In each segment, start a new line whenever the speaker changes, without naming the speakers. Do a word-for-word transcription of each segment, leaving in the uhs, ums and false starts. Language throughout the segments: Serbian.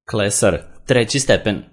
Klesar, treći stepen.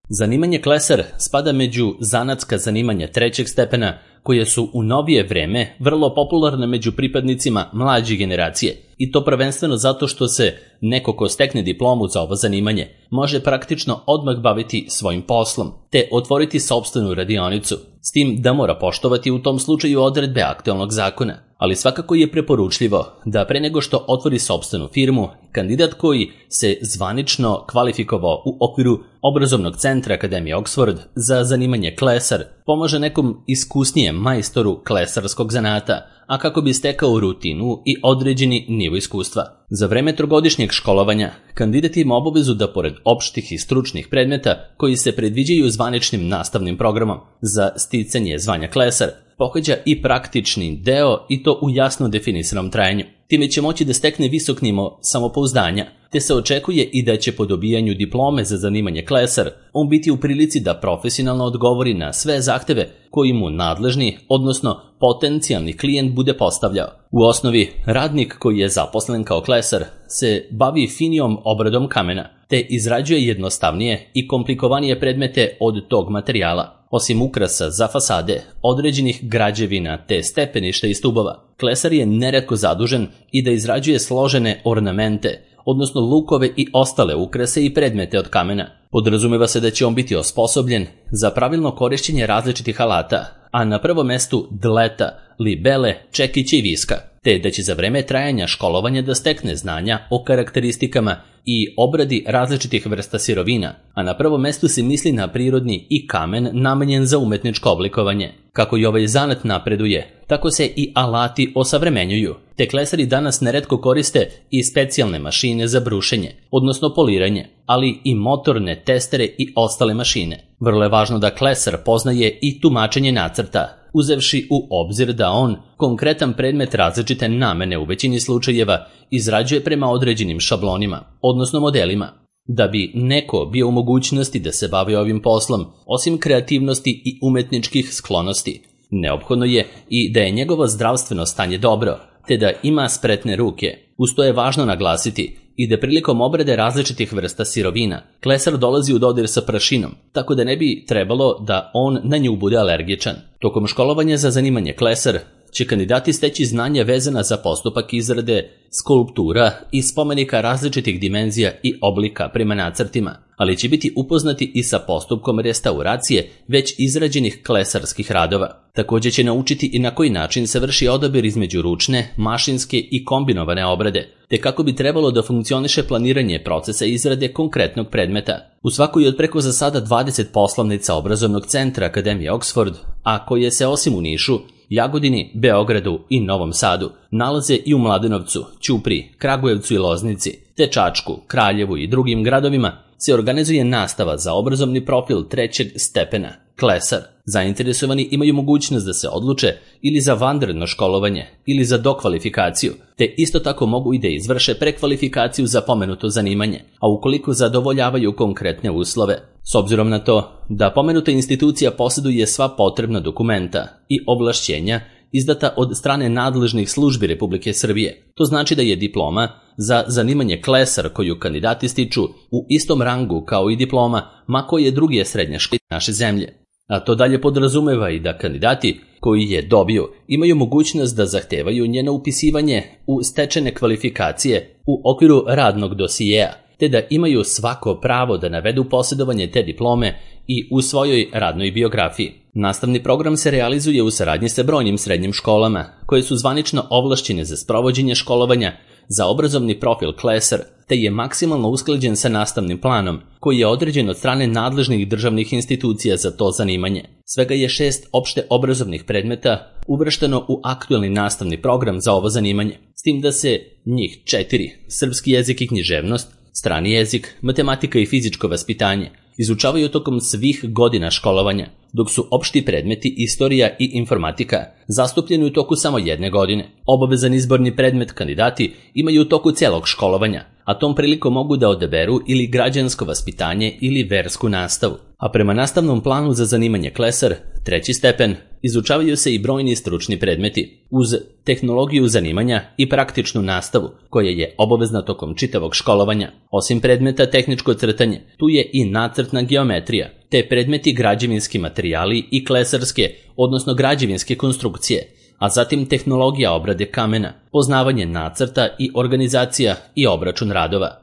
Zanimanje klesar spada među zanatska zanimanja trećeg stepena, koje su u novije vreme vrlo popularne među pripadnicima mlađe generacije, i to prvenstveno zato što se neko ko stekne diplomu za ovo zanimanje može praktično odmah baviti svojim poslom, te otvoriti sopstvenu radionicu, s tim da mora poštovati u tom slučaju odredbe aktualnog zakona. Ali svakako je preporučljivo da pre nego što otvori sopstvenu firmu, kandidat koji se zvanično kvalifikovao u okviru obrazovnog centra Akademije Oxford za zanimanje klesar pomaže nekom iskusnijem majstoru klesarskog zanata, a kako bi stekao rutinu i određeni nivo iskustva. Za vreme trogodišnjeg školovanja, kandidat ima obavezu da pored opštih i stručnih predmeta koji se predviđaju zvaničnim nastavnim programom za sticanje zvanja klesar, pohađa i praktični deo, i to u jasno definisanom trajanju. Time će moći da stekne visok nivo samopouzdanja, te se očekuje i da će po dobijanju diplome za zanimanje klesar on biti u prilici da profesionalno odgovori na sve zahteve koji mu nadležni, odnosno potencijalni klijent bude postavljao. U osnovi, radnik koji je zaposlen kao klesar se bavi finijom obradom kamena, te izrađuje jednostavnije i komplikovanije predmete od tog materijala. Osim ukrasa za fasade, određenih građevina te stepeništa i stubova, klesar je neretko zadužen i da izrađuje složene ornamente, odnosno lukove i ostale ukrase i predmete od kamena. Podrazumeva se da će on biti osposobljen za pravilno korišćenje različitih alata, a na prvom mestu dleta, libele, čekića i viska, te da će za vreme trajanja školovanja da stekne znanja o karakteristikama i obradi različitih vrsta sirovina, a na prvom mestu se misli na prirodni i kamen namenjen za umetničko oblikovanje. Kako i ovaj zanat napreduje, tako se i alati osavremenjuju, te klesari danas neretko koriste i specijalne mašine za brušenje, odnosno poliranje, ali i motorne testere i ostale mašine. Vrlo je važno da klesar poznaje i tumačenje nacrta, uzevši u obzir da on konkretan predmet različite namene u većini slučajeva izrađuje prema određenim šablonima, odnosno modelima. Da bi neko bio u mogućnosti da se bavi ovim poslom, osim kreativnosti i umetničkih sklonosti, neophodno je i da je njegovo zdravstveno stanje dobro, te da ima spretne ruke. Uz to je važno naglasiti i da prilikom obrade različitih vrsta sirovina, klesar dolazi u dodir sa prašinom, tako da ne bi trebalo da on na nju bude alergičan. Tokom školovanja za zanimanje klesar će kandidati steći znanja vezana za postupak izrade skulptura i spomenika različitih dimenzija i oblika prema nacrtima, ali će biti upoznati i sa postupkom restauracije već izrađenih klesarskih radova. Također će naučiti i na koji način se vrši odabir između ručne, mašinske i kombinovane obrade, te kako bi trebalo da funkcioniše planiranje procesa izrade konkretnog predmeta. U svakoj od preko za sada dvadeset poslovnica obrazovnog centra Akademije Oxford, a koje se osim u Nišu, Jagodini, Beogradu i Novom Sadu nalaze i u Mladenovcu, Ćupriji, Kragujevcu i Loznici, te Čačku, Kraljevu i drugim gradovima, se organizuje nastava za obrazovni profil trećeg stepena, klesar. Zainteresovani imaju mogućnost da se odluče ili za vanredno školovanje ili za dokvalifikaciju, te isto tako mogu i da izvrše prekvalifikaciju za pomenuto zanimanje, a ukoliko zadovoljavaju konkretne uslove. S obzirom na to da pomenuta institucija posjeduje sva potrebna dokumenta i ovlašćenja izdata od strane nadležnih službi Republike Srbije, to znači da je diploma za zanimanje klesar koju kandidati stiču u istom rangu kao i diploma ma koje druge srednje škole naše zemlje. A to dalje podrazumeva i da kandidati koji je dobiju imaju mogućnost da zahtevaju njeno upisivanje u stečene kvalifikacije u okviru radnog dosijeja, te da imaju svako pravo da navedu posjedovanje te diplome i u svojoj radnoj biografiji. Nastavni program se realizuje u saradnji sa brojnim srednjim školama, koje su zvanično ovlašćene za sprovođenje školovanja za obrazovni profil klesar, te je maksimalno usklađen sa nastavnim planom, koji je određen od strane nadležnih državnih institucija za to zanimanje. Svega je šest opšte obrazovnih predmeta uvršteno u aktualni nastavni program za ovo zanimanje, s tim da se njih četiri, srpski jezik i književnost, strani jezik, matematika i fizičko vaspitanje, izučavaju tokom svih godina školovanja, dok su opšti predmeti istorija i informatika zastupljeni u toku samo jedne godine. Obavezan izborni predmet kandidati imaju u toku celog školovanja, a tom prilikom mogu da odaberu ili građansko vaspitanje ili versku nastavu. A prema nastavnom planu za zanimanje klesar, treći stepen, izučavaju se i brojni stručni predmeti, uz tehnologiju zanimanja i praktičnu nastavu, koja je obavezna tokom čitavog školovanja. Osim predmeta tehničko crtanje, tu je i nacrtna geometrija, te predmeti građevinski materijali i klesarske, odnosno građevinske konstrukcije, a zatim tehnologija obrade kamena, poznavanje nacrta i organizacija i obračun radova.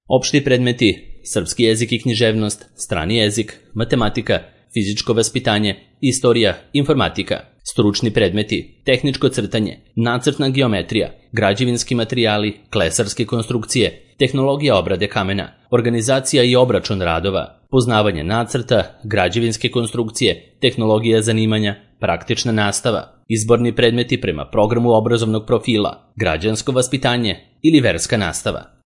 Opšti predmeti: srpski jezik i književnost, strani jezik, matematika, fizičko vaspitanje, istorija, informatika. Stručni predmeti: tehničko crtanje, nacrtna geometrija, građevinski materijali, klesarske konstrukcije, tehnologija obrade kamena, organizacija i obračun radova, poznavanje nacrta, građevinske konstrukcije, tehnologija zanimanja, praktična nastava. Izborni predmeti prema programu obrazovnog profila, građansko vaspitanje ili verska nastava.